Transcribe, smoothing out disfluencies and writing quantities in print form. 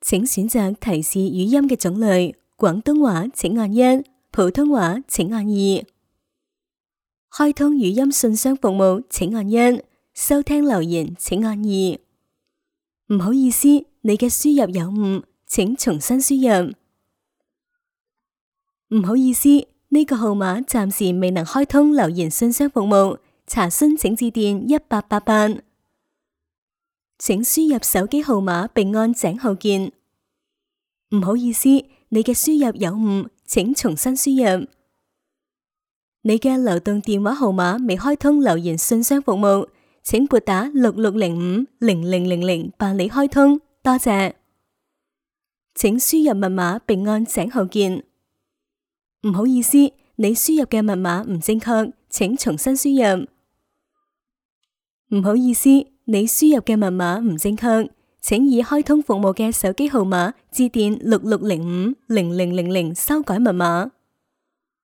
請選擇提示語音嘅種類，廣東話請按1，普通話請按2。開通語音信箱服務請按1，收聽留言請按2。唔好意思，你嘅輸入有誤，請重新輸入。唔好意思，呢個號碼暫時未能開通留言信箱服務，查詢請致電1888。請輸入手機號碼並按井號鍵。唔好意思，你嘅輸入有誤，請重新輸入。你嘅流動電話號碼未開通留言信箱服務，請撥打66050000辦理開通，多謝。請輸入密碼並按井號鍵。唔好意思，你輸入嘅密碼唔正確，請重新輸入。唔好意思，你輸入嘅密碼唔正確，請以開通服務嘅手機號碼致電66050000修改密碼。